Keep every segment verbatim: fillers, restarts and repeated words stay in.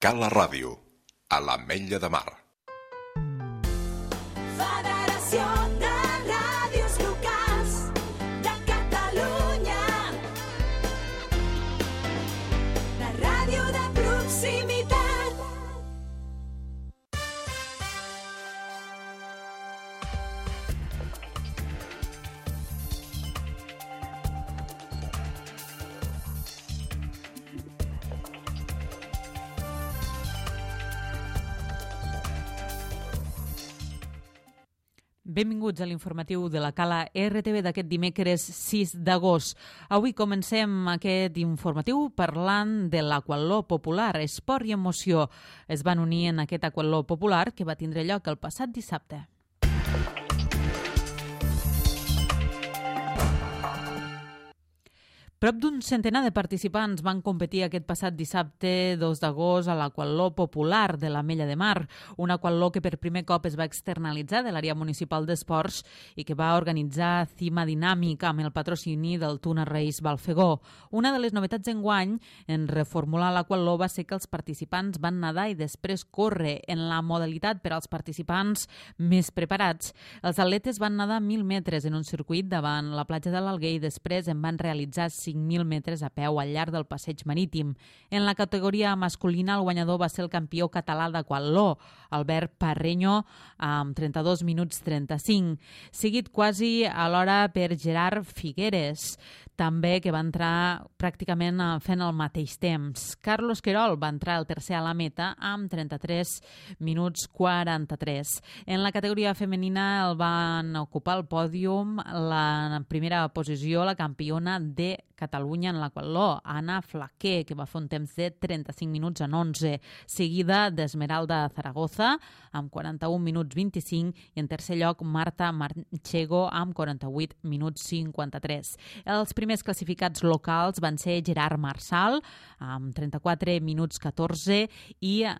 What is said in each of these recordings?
Cala Ràdio, a l'Ametlla de Mar. Federació de Ràdios Locals de Catalunya. La ràdio de proximitat. Benvinguts a l'informatiu de la Cala R T V d'aquest dimecres sis d'agost. Avui comencem aquest informatiu parlant de l'aquatló popular. Esport i emoció es van unir en aquest aquatló popular que va tindre lloc el passat dissabte. Prop d'un centenar de participants van competir aquest passat dissabte dos d'agost a l'aquatló popular de l'Ametlla de Mar, un aquatló que per primer cop es va externalitzar de l'àrea municipal d'esports i que va organitzar Cima Dinàmica amb el patrocini del Tuna Reis Balfegó. Una de les novetats enguany en reformular l'aquatló va ser que els participants van nedar i després córrer en la modalitat per als participants més preparats. Els atletes van nedar mil metres en un circuit davant la platja de l'Alguer i després en van realitzar cinc mil metres a peu al llarg del passeig marítim. En la categoria masculina, el guanyador va ser el campió català d'aquatló, Albert Parreño, amb trenta-dos minuts trenta-cinc, seguit quasi alhora per Gerard Figueres, també que va entrar pràcticament fent el mateix temps. Carlos Querol va entrar el tercer a la meta amb trenta-tres minuts quaranta-tres. En la categoria femenina el van ocupar el pòdium la primera posició la campiona de Catalunya en l'aquatló, Anna Flaquer, que va fer un temps de trenta-cinc minuts en onze, seguida d'Esmeralda Zaragoza amb quaranta-un minuts vint-i-cinc i en tercer lloc Marta Manchego amb quaranta-vuit minuts cinquanta-tres. Els primers classificats locals van ser Gerard Marsal amb trenta-quatre minuts catorze i eh,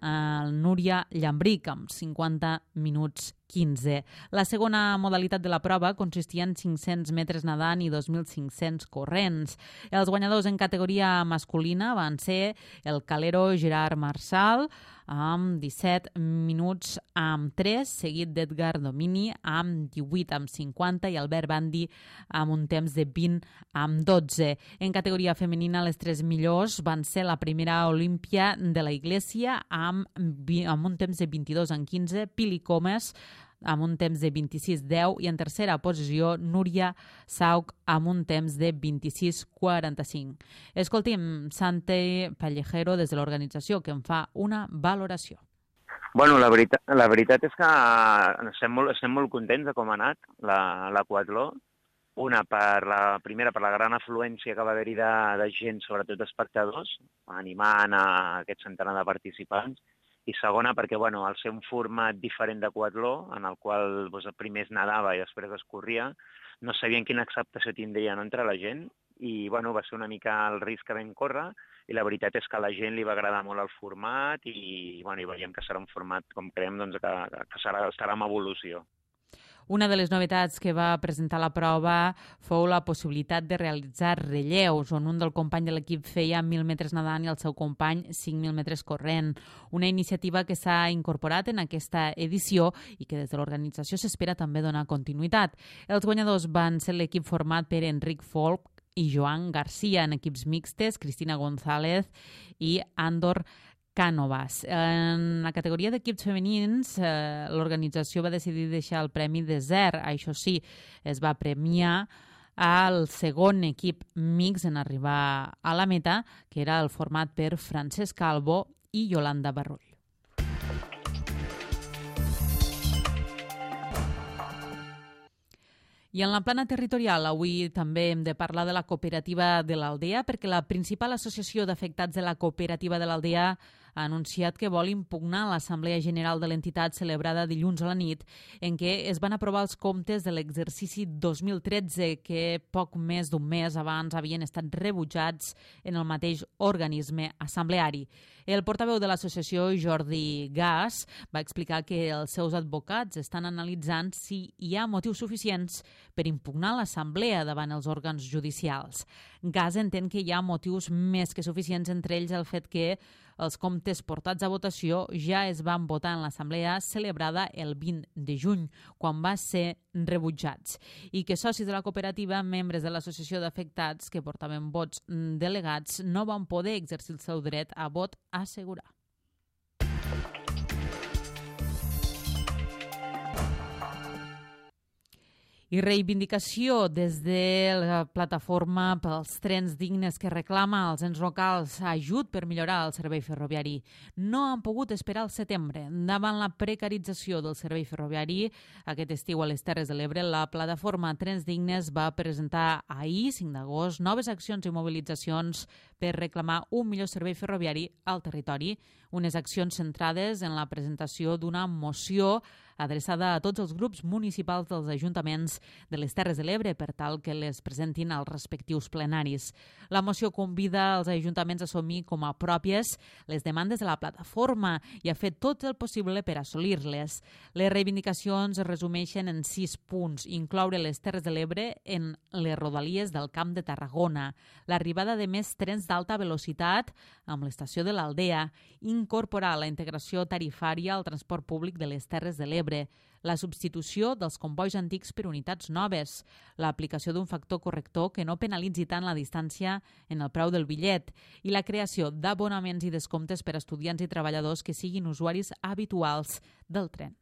Núria Llambric amb cinquanta minuts quinze. La segona modalitat de la prova consistia en cinc-cents metres nedant i dos mil cinc-cents corrents. Els guanyadors en categoria masculina van ser el calero Gerard Marsal amb disset minuts amb tres, seguit d'Edgar Domini amb divuit amb cinquanta i Albert Bandi amb un temps de vint amb dotze. En categoria femenina les tres millors van ser la primera Olímpia de la Iglesia amb, amb un temps de vint-i-dos amb quinze, Pili Comas amb un temps de vint-i-sis deu i en tercera posició Núria Sauc amb un temps de vint-i-sis quaranta-cinc. Escolti'm Santi Pallejero des de l'organització que en fa una valoració. Bueno, la veritat, la veritat és que estem molt, estem molt contents de com ha anat l'aquatló. Una, per la primera, per la gran afluència que va haver-hi de, de gent, sobretot espectadors, animant a aquest centenar de participants. I segona, perquè bueno, al ser un format diferent d'aquatló, en el qual doncs, primer es nedava i després es corria, no sabien quina acceptació tindria no, entre la gent i bueno, va ser una mica el risc que vam córrer i la veritat és que a la gent li va agradar molt el format i, bueno, i veiem que serà un format, com creiem, doncs, que, que serà, estarà en evolució. Una de les novetats que va presentar la prova fou la possibilitat de realitzar relleus, on un del company de l'equip feia mil metres nedant i el seu company cinc mil metres corrent. Una iniciativa que s'ha incorporat en aquesta edició i que des de l'organització s'espera també donar continuïtat. Els guanyadors van ser l'equip format per Enric Folk i Joan Garcia, en equips mixtes, Cristina González i Andor Cànovas. En la categoria d'equips femenins, eh, l'organització va decidir deixar el premi desert. Això sí, es va premiar al segon equip mix en arribar a la meta, que era el format per Francesc Calvo i Yolanda Barrull. I en la plana territorial, avui també hem de parlar de la cooperativa de l'Aldea, perquè la principal associació d'afectats de la cooperativa de l'Aldea ha anunciat que vol impugnar l'Assemblea General de l'entitat celebrada dilluns a la nit, en què es van aprovar els comptes de l'exercici dos mil tretze, que poc més d'un mes abans havien estat rebutjats en el mateix organisme assembleari. El portaveu de l'associació, Jordi Gas, va explicar que els seus advocats estan analitzant si hi ha motius suficients per impugnar l'assemblea davant els òrgans judicials. Gas entén que hi ha motius més que suficients, entre ells el fet que els comptes portats a votació ja es van votar en l'assemblea celebrada el vint de juny, quan va ser rebutjats, i que socis de la cooperativa, membres de l'associació d'afectats que portaven vots delegats, no van poder exercir el seu dret a vot a assegurar. I reivindicació des de la plataforma pels trens dignes que reclama als ens locals ajut per millorar el servei ferroviari. No han pogut esperar al setembre. Davant la precarització del servei ferroviari, aquest estiu a les Terres de l'Ebre, la plataforma Trens Dignes va presentar ahir, cinc d'agost, noves accions i mobilitzacions per reclamar un millor servei ferroviari al territori. Unes accions centrades en la presentació d'una moció adreçada a tots els grups municipals dels ajuntaments de les Terres de l'Ebre per tal que les presentin als respectius plenaris. La moció convida els ajuntaments a assumir com a pròpies les demandes de la plataforma i a fer tot el possible per assolir-les. Les reivindicacions es resumeixen en sis punts: incloure les Terres de l'Ebre en les rodalies del Camp de Tarragona, l'arribada de més trens d'alta velocitat amb l'estació de l'Aldea, incorporar la integració tarifària al transport públic de les Terres de l'Ebre, la substitució dels combois antics per unitats noves, l'aplicació d'un factor corrector que no penalitzi tant la distància en el preu del bitllet i la creació d'abonaments i descomptes per a estudiants i treballadors que siguin usuaris habituals del tren.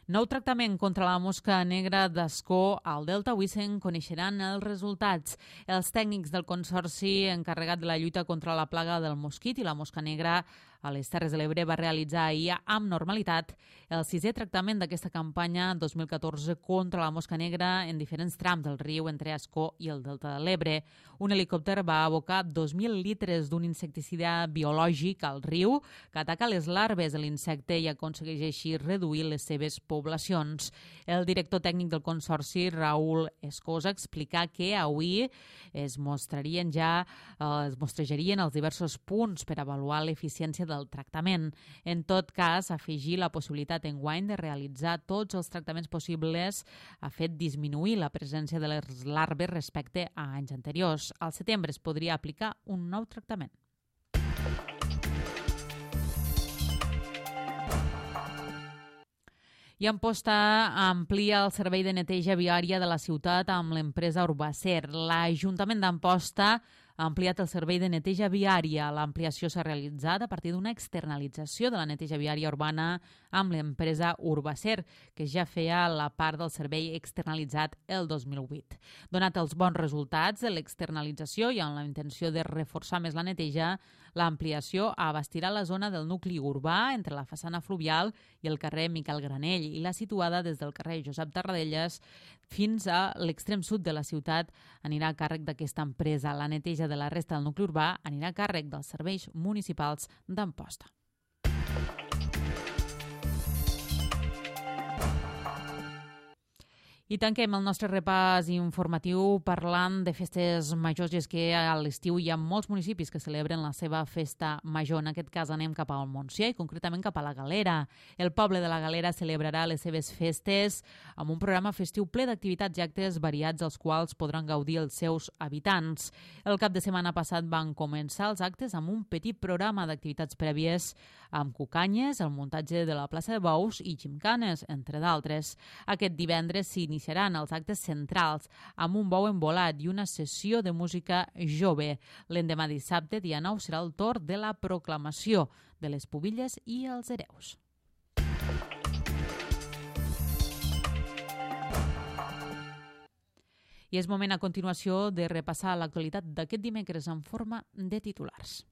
Nou tractament contra la mosca negra d'Ascó al Delta. Avui se'n coneixeran els resultats. Els tècnics del Consorci encarregat de la lluita contra la plaga del mosquit i la mosca negra a les Terres de l'Ebre va realitzar ahir amb normalitat el sisè tractament d'aquesta campanya dos mil catorze contra la mosca negra en diferents trams del riu entre Ascó i el Delta de l'Ebre. Un helicòpter va abocar dos mil litres d'un insecticida biològic al riu que ataca les larves de l'insecte i aconsegueix així reduir les seves poblacions. El director tècnic del Consorci, Raül Escosa, explica que avui es mostrarien ja eh, es mostrejarien els diversos punts per avaluar l'eficiència del tractament. En tot cas, afegir la possibilitat enguany de realitzar tots els tractaments possibles ha fet disminuir la presència de les larves respecte a anys anteriors. Al setembre es podria aplicar un nou tractament. I Amposta amplia el servei de neteja viària de la ciutat amb l'empresa Urbacer. L'Ajuntament d'Amposta ha ampliat el servei de neteja viària. L'ampliació s'ha realitzat a partir d'una externalització de la neteja viària urbana amb l'empresa Urbacer, que ja feia la part del servei externalitzat el dos mil vuit. Donat els bons resultats de l'externalització i amb la intenció de reforçar més la neteja, l'ampliació abastirà la zona del nucli urbà entre la façana fluvial i el carrer Miquel Granell i la situada des del carrer Josep Tarradellas fins a l'extrem sud de la ciutat anirà a càrrec d'aquesta empresa. La neteja de la resta del nucli urbà anirà a càrrec dels serveis municipals d'Amposta. I tanquem el nostre repàs informatiu parlant de festes majors, i és que a l'estiu hi ha molts municipis que celebren la seva festa major. En aquest cas anem cap al Montsià i concretament cap a la Galera. El poble de la Galera celebrarà les seves festes amb un programa festiu ple d'activitats i actes variats als quals podran gaudir els seus habitants. El cap de setmana passat van començar els actes amb un petit programa d'activitats prèvies amb cucanyes, el muntatge de la plaça de bous i gimcanes, entre d'altres. Aquest divendres s'inicia Iniciaran els actes centrals amb un bou embolat i una sessió de música jove. L'endemà dissabte, dia nou, serà el torn de la proclamació de les pubilles i els hereus. I és moment a continuació de repassar l'actualitat d'aquest dimecres en forma de titulars.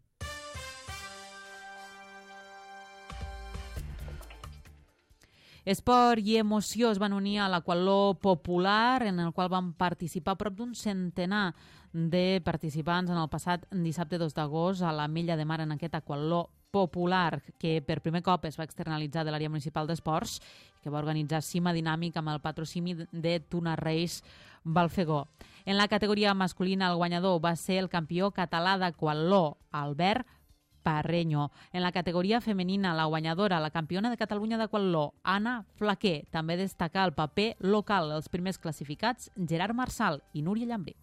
Esport i emoció es van unir a l'aquatló popular, en el qual van participar prop d'un centenar de participants en el passat dissabte dos d'agost a l'Ametlla de Mar en aquest aquatló popular que per primer cop es va externalitzar de l'àrea municipal d'esports, que va organitzar Cima Dinàmic amb el patrocini de Tuna Reis Balfegó. En la categoria masculina, el guanyador va ser el campió català d'aquatló, Albert Parreño. En la categoria femenina, la guanyadora, la campiona de Catalunya d'aquatló, Anna Flaquer. També destaca el paper local, els primers classificats, Gerard Marsal i Núria Llambric.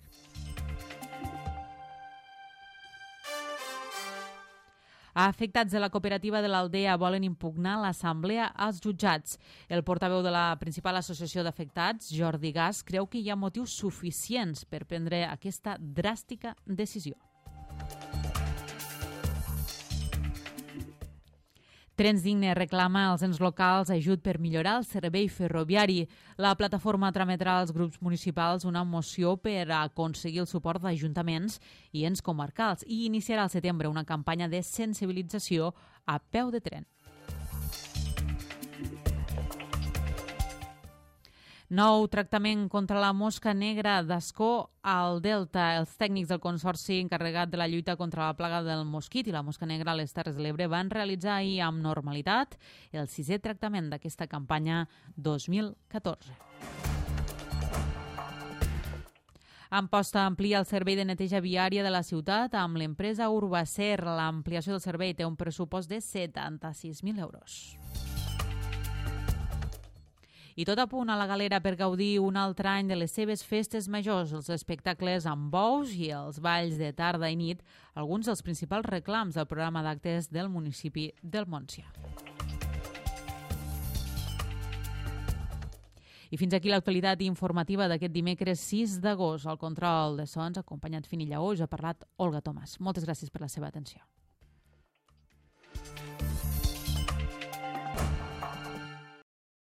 Afectats de la cooperativa de l'Aldea volen impugnar l'assemblea als jutjats. El portaveu de la principal associació d'afectats, Jordi Gas, creu que hi ha motius suficients per prendre aquesta dràstica decisió. Trens Digne reclama als ens locals ajut per millorar el servei ferroviari. La plataforma trametrà als grups municipals una moció per aconseguir el suport d'ajuntaments i ens comarcals i iniciarà al setembre una campanya de sensibilització a peu de tren. Nou tractament contra la mosca negra d'Ascó al Delta. Els tècnics del Consorci encarregat de la lluita contra la plaga del mosquit i la mosca negra a les Terres de l'Ebre van realitzar ahir amb normalitat el sisè tractament d'aquesta campanya dos mil catorze. Amposta amplia el servei de neteja viària de la ciutat amb l'empresa Urbacer. L'ampliació del servei té un pressupost de setanta-sis mil euros. I tot a punt a la Galera per gaudir un altre any de les seves festes majors, els espectacles amb bous i els balls de tarda i nit, alguns dels principals reclams del programa d'actes del municipi del Montsià. I fins aquí l'actualitat informativa d'aquest dimecres sis d'agost. Al control de sons, acompanyat Fini Lleó, us ha parlat Olga Tomàs. Moltes gràcies per la seva atenció.